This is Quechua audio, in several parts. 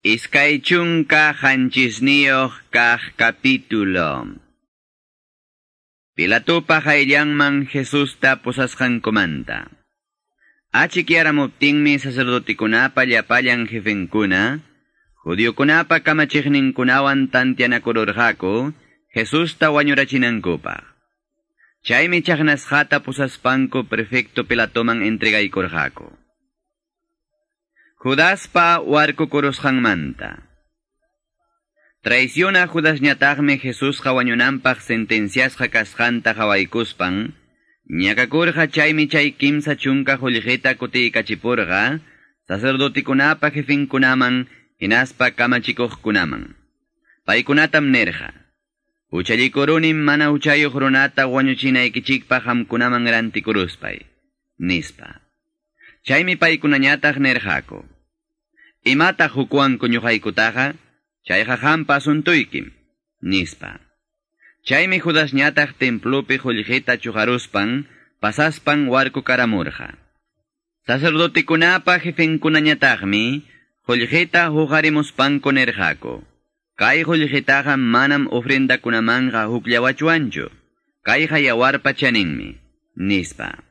27 kaq capítulo. Pilatopa qayllanman Jesusta pusasqankumanta. Achikyaramuptinmi sacerdotikunapa llapallan jefenkuna, judiokunapa kamachiqninkunawan tantianakururqaku Jesusta wañurachinankupaq. Chaymi chaqnasqata pusaspanku prefecto Pilatoman entregaykurqaku. Judaspa warkukurusqanmanta. Traiciona Judasñataqmi Jesusqa wañunanpaq sentenciasqa kasqanta qhawaykuspan, ñakakurqa chaymi chay 30 qullqita kutiykachipurqa sacerdotikunapa jefinkunaman hinaspa kamachikuqkunaman. Paykunatam nirqa: Huchallikurunim mana huchayuq runata wañuchinaykichikpaq qamkunaman rantikuruspay, nispa. Chaymi paykunañataq nirqaku: Imataq hukwanku ñuqaykutaqa, chayqa qampa asuntuykim, nispa. Chaymi Judasñataq templopi qullqita chuqaruspan, pasaspan warkukaramurqa. Sacerdotikunapa jefenkunañataqmi qullqita huqarimuspanku nirqaku: Kay qullqitaqa manam ofrendakunamanqa hukllawachwanchu, kayqa yawarpa chaninmi, nispa.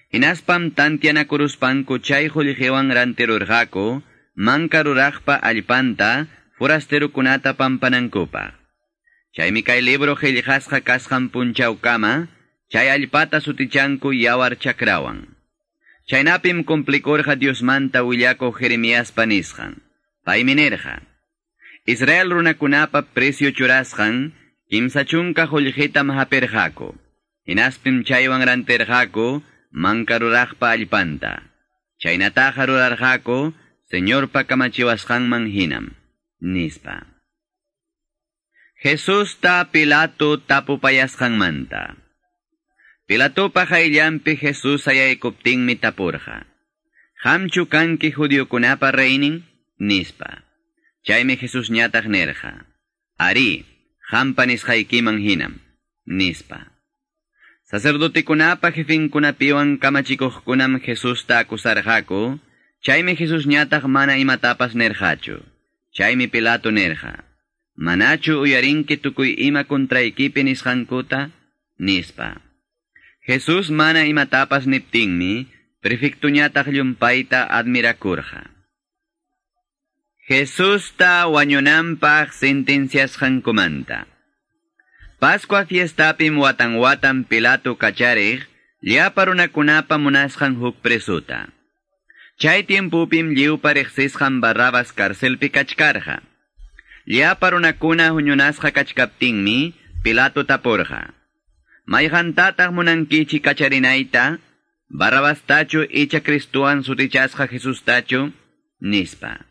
Hinaspam tantianakuruspanku chay qullqiwan rantirurqaku manka ruraqpa allpanta forasterukunata pampanankupaq. Chaymi kay libro qillqasqa kasqan punchawkama chay allpata sutichanku yawar chakrawan. Chaynapim cumplikurqa Diosmanta willakuq Jeremiaspa nisqan. Paymi nirqa: Israel runakunapa precio churasqan 30 qullqitam hapirqaku. Hinaspim chaywan rantirqaku manka ruraqpa allpanta. Chaynataqa rurarqaku Señorpa kamachiwasqanman hinam, nispa. Jesusta Pilato tapupayasqanmanta. Pilatopa qayllanpi Jesús sayaykuptinmi tapurqa: Qamchu kanki judiokunapa reynin? Nispa. Chaymi Jesusñataq nirqa: Ari, qampa nisqaykiman hinam, nispa. Sacerdotikunapa jefinkunapiwan kamachikuqkunam Jesusta acusarqaku, chaymi Jesusñataq mana imatapas nirqachu. Chaymi Pilato nirqa: Manachu uyarinki tukuy ima contraykipi nisqankuta? Nispa. Jesús mana imatapas niptinmi, prefectuñataq llumpayta admirakurqa. Jesusta wañunanpaq sentenciasqankumanta. Pascua fiestapim watan watan Pilato kachariq llapa runakunapa munasqan huk presuta. Chay tiempupim lliwpa riqsisqan Barrabás carcelpi kachkarqa. Llapa runakuna huñunasqa kachkaptinmi Pilato tapurqa: Mayqantataq munankichik kacharinayta? Barrabastachu icha Cristuwan sutichasqa Jesustachu? Nispa.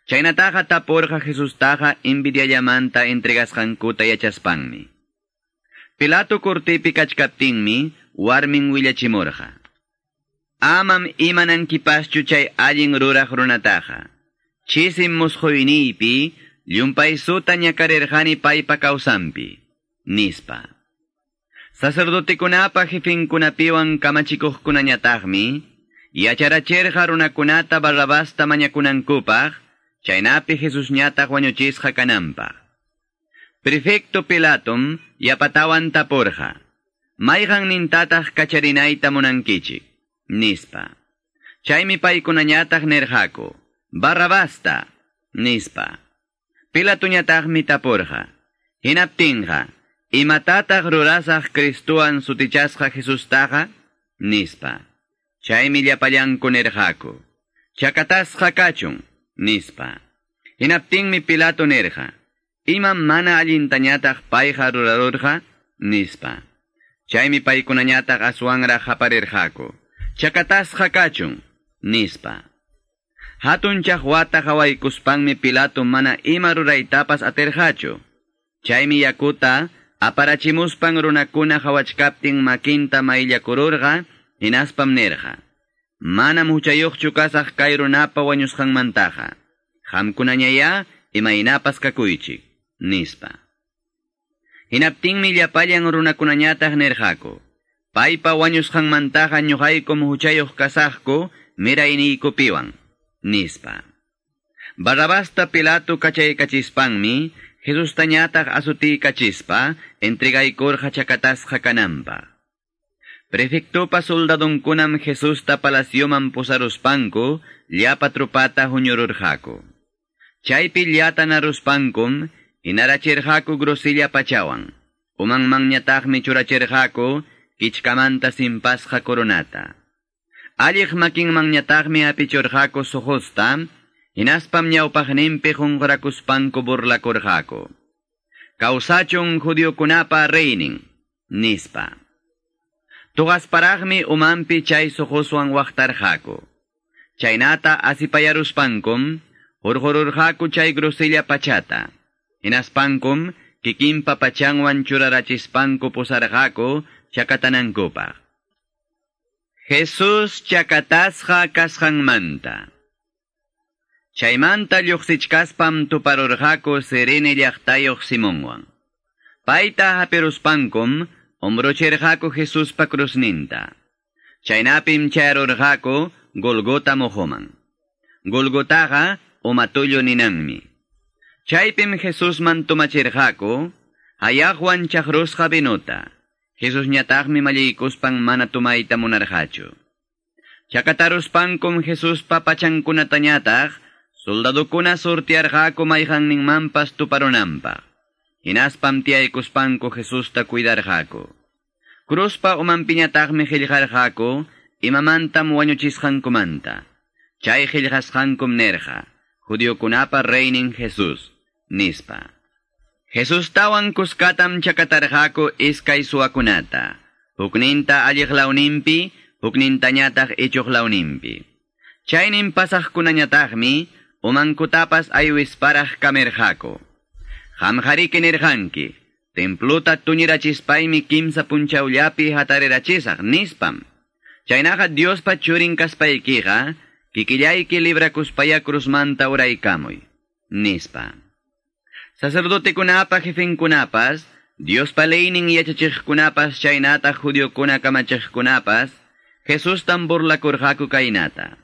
Chaynataqa tapurqa Jesustaqa envidiallamanta entregasqankuta yachaspanmi. Pilato cortepi kachkaptinmi warmin willachimurqa: Amam imanankipaschu chay allin ruraq runataqa. Chisim musquyniypi llumpaysuta ñakarirqani paypa kawsanpi, nispa. Sacerdotikunapa jefinkunapiwan kamachikuqkunañataqmi yacharachirqa runakunata Barrabasta mañakunankupaq, chaynapi Jesusñataq wañuchisqa kananpaq. Prefecto Pilatom yapatawan tapurqa: Mayqannintataq kacharinayta munankichik? Nispa. Chaymi paykunañataq nirqaku: Barrabasta, nispa. Pilatoñataqmi tapurqa: Hinaptinqa, imatataq rurasaq Cristuwan sutichasqa Jesustaqa? Nispa. Chaymi llapallanku nirqaku: Chakatasqa kachun, nispa. Hinaptinmi Pilato nirqa: Imam mana allintañataq payqa rurarurqa? Nispa. Chaymi paykunañataq aswanraq qaparirqaku: Chakatasqa kachun, nispa. Hatun chaqwata qhawaykuspanmi Pilato mana ima ruraytapas atirqachu. Chaymi yakuta aparachimuspan runakuna qhawachkaptin makinta mayllakururqa, hinaspam nirqa: Manam huchayuqchu kasaq kay runapa wañusqanmantaqa. Qamkunañayá imaynapas kakuychik, nispa. Hinaptinmi llapallan runakunañataq nirqaku: Paypa wañusqanmantaqa ñuqaykum huchayuq kasaqku mirayniykupiwan, nispa. Barrabasta Pilato kachaykachispanmi, Jesustañataq asutiykachispa, entregaykurqa chakatasqa kananpaq. Prefectopa soldadunkunam Jesusta palacioman pusaruspanku, llapa trupata huñururqaku. Chaypi llatanaruspankum, hinarachirqaku grosilla pachawan. Umanmanñataqmi churachirqaku, kichkamanta simpasqa coronata. Alliq makinmanñataqmi apichurqaku sojosta, hinaspam ñawpaqninpi qunqurakuspanku burlakurqaku. Kawsachun judiokunapa reynin, nispa. Tuqasparaqmi umanpi chay soqoswan waqtarqaku. Chaynata asipayaruspankum, hurqururqaku chay grosella pachata. Hinaspankum, kikinpa pachanwan churarachispanku pusarqaku chakatanankupaq. Jesús chakatasqa kasqanmanta. Chaymanta lluqsichkaspam tuparurqaku Cirene llaqtayuq Simonwan. Payta hapiruspankum, hombrochirqaku Jesuspa cruzninta. Chaynapim chayarurqaku Golgota mojoman. Golgotaqa umatullu ninanmi. Chaypim Jesusman tumachirqaku, hayaqwan chaqrusqa vinuta. Jesusñataqmi malliykuspan mana tumayta munarqachu. Chakataruspankum Jesuspa pachankunatañataq, soldadukuna sortearqaku mayqanninmanpas tuparunanpaq. Hinaspam tiyaykuspanku Jesusta cuidarqaku. Cruzpa umanpiñataqmi qillqarqaku, imamantam wañuchisqankumanta. Chay qillqasqankum nerqa, judiokunapa reynin Jesús, nispa. Jesustawan kuskatam chakatarqaku iskay suwakunata. Hukninta alliq lawninpi, huknintañataq ichuq lawninpi. Chaynin pasaqkunañataqmi, umankutapas aywisparaq kamirqaku. Qamqariki nirqanki, templuta tuñirachispaymi kimsa punchawllapi hatarirachisaq, nispam. Chaynaqa Diospa churin kaspaykiqa, kikillayki librakuspaya cruzmanta uraykamuy, nispa. Sacerdotekunapa jefenkunapas, Diospa leynin yachachiqkunapas chaynataq judiokuna kamachiqkunapas, Jesustam burlakurqaku kaynata.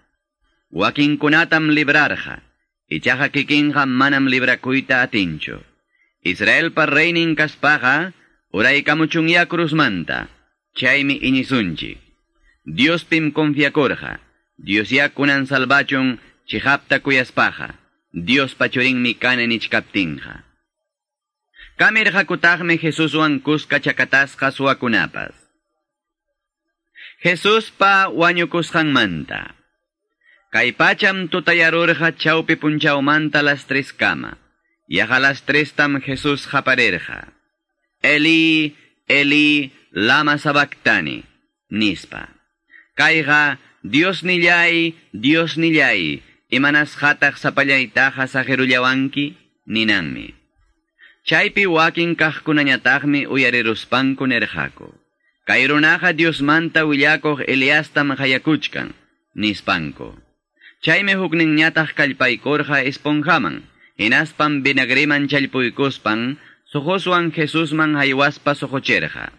Wakinkunatam librarqa, ichaqa kikinqa manam librakuyta atinchu. Israelpa reynin kaspaqa, uraykamuchunya cruzmanta, chaymi iñisunchik. Diospim confiakurqa, Diosya kunan salvachun chihapta kuyaspaqa, Diospa churinmi kani nichkaptinqa. Kamirqakutaqmi Jesuswan kuska chakatasqa suwakunapas. Jesuspa wañukusqanmanta. Kay pacham tutayarurqa chawpi punchawmanta las 3 kama. Yaqa las 3 tam Jesús qaparirqa. Eli, Eli, lama sabactani, nispa. Kayqa, Dios nillay, Dios nillay, imanasqataq sapallaytaqa saqirullawanki, ninanmi. Chaypi wakin kaqkunañataqmi uyariruspanku nirqaku. Kay runaqa Diosmanta willakuq Eliastam qayakuchkan, nispanku. Chaymi hukninñataq kallpaykurqa esponjaman, hinaspam vinagreman challpuykuspan, soqoswan Jesusman haywaspa soqochirqa.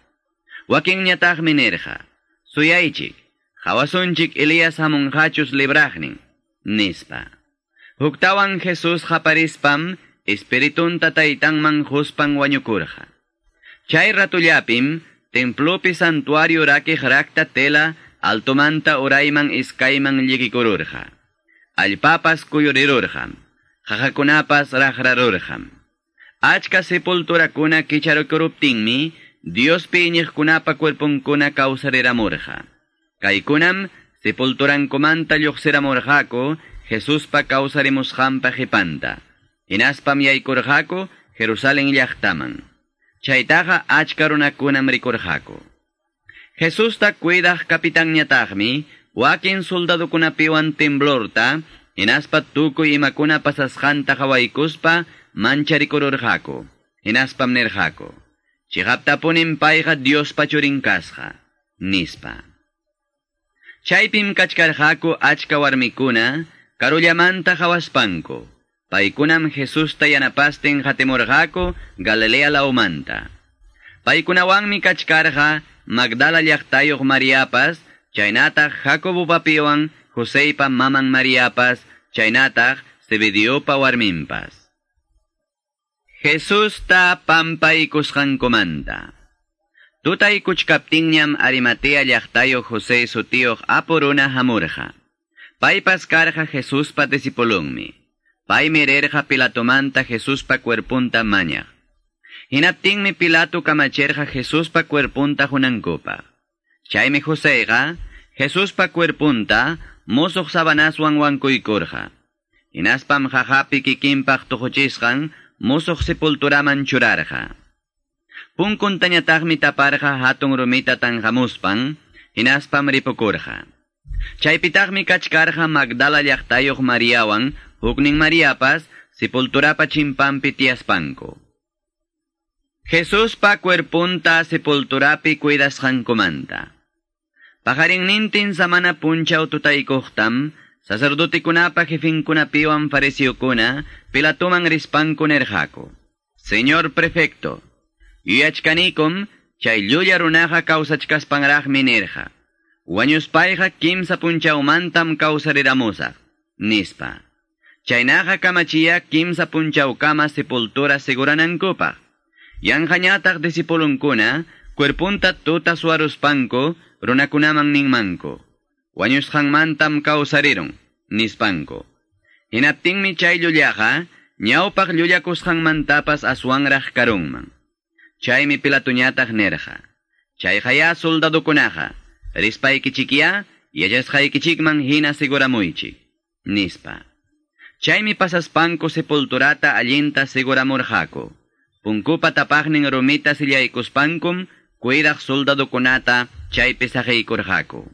Wakinñataqmi nirqa, suyaychik, qawasunchik Elías hamunqachus libraqnin, nispa. Huktawan Jesús qaparispam, espiritunta taytanman quspan wañukurqa. Chay ratullapim, templopi santuario rakiq rakta tela, altomanta urayman iskayman llikikururqa. Allpapas kuyurirurqam, qaqakunapas raqrarurqam. Achka sepulturakuna kicharukuruptinmi, Diospi iñiqkunapa cuerponkuna kawsariramurqa. Kaykunam sepulturankumanta lluqsiramurqaku Jesuspa kawsarimusqanpa qhipanta. Hinaspam yaykurqaku Jerusalén llaqtaman. Chaytaqa achka runakunam rikurqaku. Jesusta cuidaq capitanñataqmi wakin soldadukunapiwan temblorta, hinaspa tukuy imakuna pasasqanta qhawaykuspa mancharikururqaku. Hinaspam nirqaku, chiqaptapunim payqa Diospa churin kasqa, nispa. Chaypim kachkarqaku achka warmikuna, karullamanta qhawaspanku. Paykunam Jesusta yanapastin qatimurqaku Galilea lawmanta. Paykunawanmi kachkarqa Magdala llaqtayuq Mariapas, chaynataq Jacobopapiwan Joseypa maman Mariapas, chaynataq Zebedeopa warminpas. Jesusta pampaykusqankumanta. Tutaykuchkaptinñam Arimatea llaqtayuq José sutiyuq apu runa hamurqa. Paypas karqa Jesuspa discipulunmi. Paymi rirqa Pilatomanta Jesuspa cuerpunta mañaq. Hinaptinmi Pilato kamachirqa Jesuspa cuerpunta hunankupaq. Chaymi Joseyqa Jesuspa cuerpunta musuq sabanaswan wankuykurqa. Hinaspam qaqapi kikinpaq tuquchisqan musuq sepulturaman churarqa. Punkuntañataqmi taparqa hatun rumita tanqamuspan, hinaspam ripukurqa. Chaypitaqmi kachkarqa Magdala llaqtayuq Mariawan, huknin Mariapas, sepulturapa chimpanpi tiyaspanku. Jesuspa cuerpunta sepulturapi cuidasqankumanta. Paqarinnintin samana punchaw tutaykuqtam, sacerdotekunapa jefinkunapiwan fariseokuna, Pilatoman rispanku nirqaku: Señor prefecto, yuyachkanikum chay llulla runaqa kawsachkaspanraqmi nirqa: Wañuspayqa kimsa punchawmantam kawsariramusaq, nispa. Chaynaqa kamachiya kimsa punchawkama sepultura seguranankupaq. Yanqañataq discipulunkuna, cuerpunta tuta suwaruspanku, runakunaman ninmanku: Wañusqanmantam kawsarirun, nispanku. Hinaptinmi chay llullaqa, ñawpaq llullakusqanmantapas aswanraq karunman. Chaymi Pilatoñataq nirqa: Chayqaya soldadukunaqa, rispaykichikya, yachasqaykichikman hina seguramuychik, nispa. Chaymi pasaspanku sepulturata allinta seguramurqaku. Punkupa tapaqnin rumita sillaykuspankum, cuidaq soldadukunata chaypi saqiykurqaku.